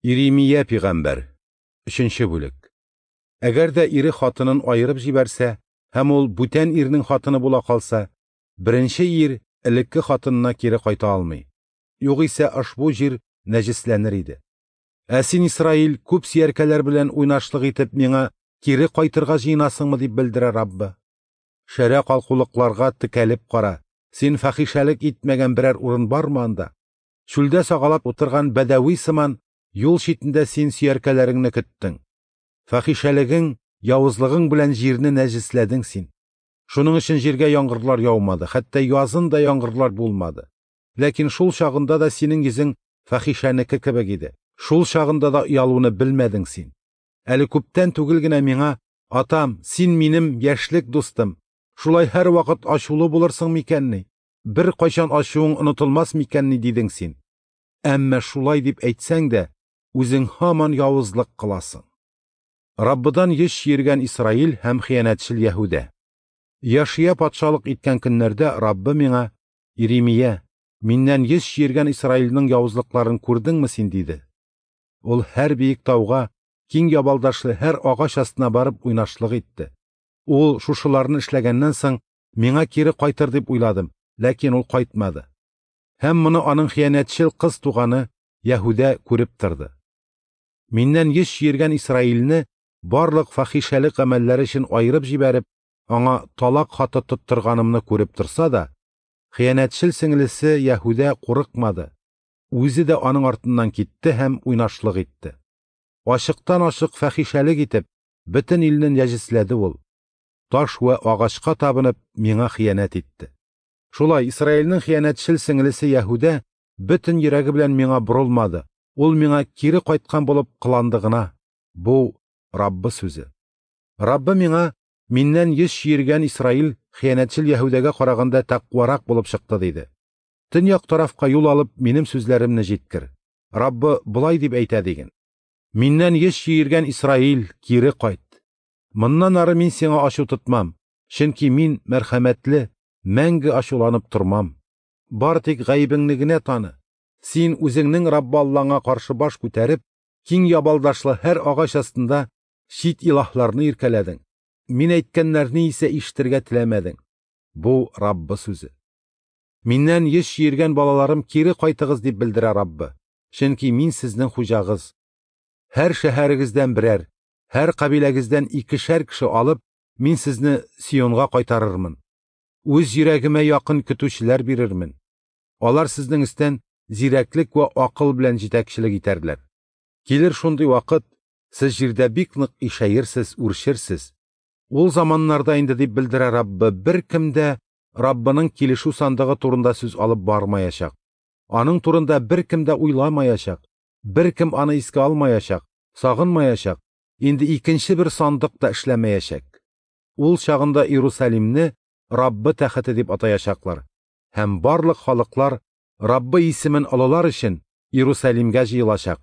Иремия пигамбәр, 3 бүлек. Әгәр дә ире хатынын аерып җибәрсә һәм ул бүтән ирнең хатыны була калса, беренче ир элекке хатынына кире кайта алмый. Югыйсә ошбу җир нәҗесләнер иде. Ә син, Исраил, күп сөяркәләр белән уйнашлык итеп миңа кире кайтырга җыенасыңмы, дип белдерә Раббы. Шәрә калкулыкларга текәлеп кара. Син фахишәлек итмәгән берәр урын бармы анда? Чүлдә сагалап утырган бәдәви сыман юл читендә син сөяркәләреңне көттең. Фахишәлегең, явызлыгың белән җирне нәҗесләдең син. Шуның өчен җиргә яңгырлар яумады, хәтта язын да яңгырлар булмады. Ләкин шул чагында да синең йөзең фахишәнеке кебек иде. Шул чагында да оялуны белмәдең син. Әле күптән түгел генә миңа: "Атам, син минем яшьлек дустым. Шулай һәрвакыт ачулы булырсың микәнни? Бер кайчан ачуың онытылмас микәнни?" – дидең син. Әмма шулай дип әйтсәң дә, үзең һаман явызлык кыласың. Раббыдан йөз чөергән Исраил һәм хыянәтчел Яһүдә. Яшия патшалык иткән көннәрдә Раббы миңа: "Иремия, миннән йөз чөергән Исраилнең явызлыкларын күрдеңме син?" – диде. Ул һәр биек тауга, киң ябалдашлы һәр агач астына барып уйнашлык итте. Ул шушыларны эшләгәннән соң миңа кире кайтыр дип уйладым, ләкин ул кайтмады. Һәм моны аның хыянәтчел кыз туганы Яһүдә күреп торды. Миннән йөз чөергән Исраилне барлык фахишәлек гамәлләре өчен аерып җибәреп, аңа талак хаты тоттырганымны күреп торса да, хыянәтчел сеңлесе Яһүдә курыкмады. Үзе дә аның артыннан китте һәм уйнашлык итте. Ачыктан-ачык фахишәлек итеп, бөтен илне нәҗесләде ул. Таш вә агачка табынып, миңа хыянәт итте. Шулай Исраилнең хыянәтчел сеңлесе Яһүдә бөтен йөрәге белән миңа борылмады. Ул миңа кире кайткан булып кыланды гына. Бу Раббы сүзе. Раббы миңа: "Миннән йөз чөергән Исраил хыянәтчел Яһүдәгә караганда тәкъварак булып чыкты", – диде. Төньяк тарафка юл алып, минем сүзләремне җиткер. Раббы болай дип әйтә диген: Миннән йөз чөергән Исраил, кире кайт. Моннан ары мин сиңа ачу тотмам, чөнки мин мәрхәмәтле, мәңге ачуланып тормам. Бар тик гаебеңне генә таны. Син үзеңнең Раббы Аллаңа каршы баш күтәреп, киң ябалдашлы һәр агач астында чит илаһларны иркәләдең. Мин әйткәннәрне исә ишетергә теләмәдең. Бу Раббы сүзе. Миннән йөз чөергән балаларым, кире кайтыгыз, дип белдерә Раббы. Чөнки мин сезнең хуҗагыз. Һәр шәһәрегездән берәр, һәр кабиләгездән икешәр кеше алып, мин сезне Сионга кайтарырмын. Үз йөрәгемә якын көтүчеләр бирермен. Алар сезнең өстән зирәклек вә акыл белән җитәкчелек итәрләр. Килер шундый вакыт, сез җирдә бик нык ишәерсез, үрчерсез. Ул заманнарда инде, дип белдерә Раббы, беркем дә Раббының килешү сандыгы турында сүз алып бармаячак. Аның турында беркем дә уйламаячак, беркем аны искә алмаячак, сагынмаячак, инде икенче бер сандык та эшләмәячәк. Ул чагында Иерусалимне Раббы тәхете дип атаячаклар, һәм барлык халыклар Раббы исемен олылар өчен Иерусалимгә җыелачак.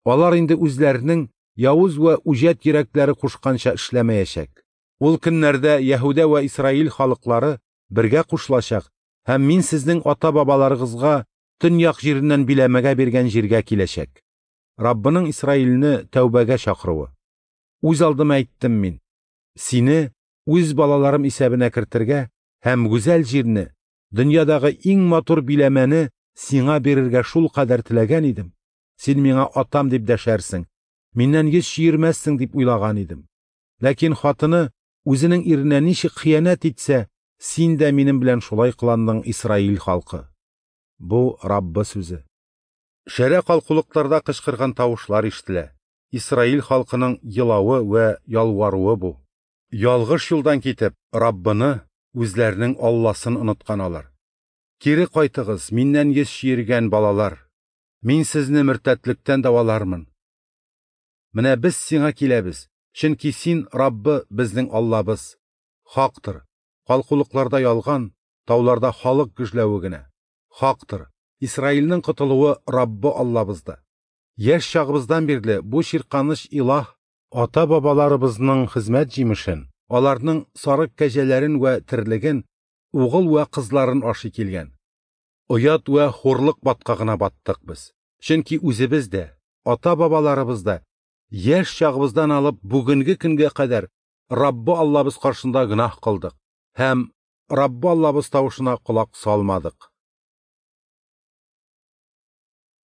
Алар инде үзләренең явыз вә үҗәт йөрәкләре кушканча эшләмәячәк. Ул көннәрдә Яһүдә вә Исраил халыклары бергә кушылачак, һәм мин сезнең ата-бабаларыгызга төньяк җиреннән биләмәгә биргән җиргә киләчәк. Раббының Исраилне тәүбәгә чакыруы. Үз алдыма әйттем мин: сине үз балаларым исәбенә кертергә һәм гүзәл җирне, дөньядагы иң матур биләмәне сиңа бирергә шул кадәр теләгән идем. Син миңа атам дип дәшәрсең, миннән йөз чөермәссең дип уйлаган идем. Ләкин хатыны үзенең иренә ничек хыянәт итсә, син дә минем белән шулай кыландың, Исраил халкы. Бу Раббы сүзе. Шәрә калкулыкларда кычкырган тавышлар ишетелә. Исраил халкының елавы вә ялваруы бу. Ялгыш юлдан китеп, Раббыны, үзләренең Алласын оныткан алар. Кире кайтыгыз, миннән йөз чөергән балалар. Мин сезне мөртәтлектән дәвалармын. Менә без сиңа киләбез, чөнки син, Раббы, безнең Аллабыз. Хактыр, калкулыкларда ялган, тауларда халык гөжләве генә. Хактыр, Исраилнең котылуы Раббы Аллабызда. Яшь чагыбыздан бирле бу чирканыч илаһ ата-бабаларыбызның хезмәт җимешен, аларның сарык кәҗәләрен вә терлеген, угыл вә кызларын ашый килгән. Оят вә хурлык баткагына баттык без. Чөнки үзебез дә, ата-бабаларыбыз да, яшь чагыбыздан алып бүгенге көнгә кадәр Раббы Аллабыз каршында гөнаһ кылдык һәм Раббы Аллабыз тавышына колак салмадык.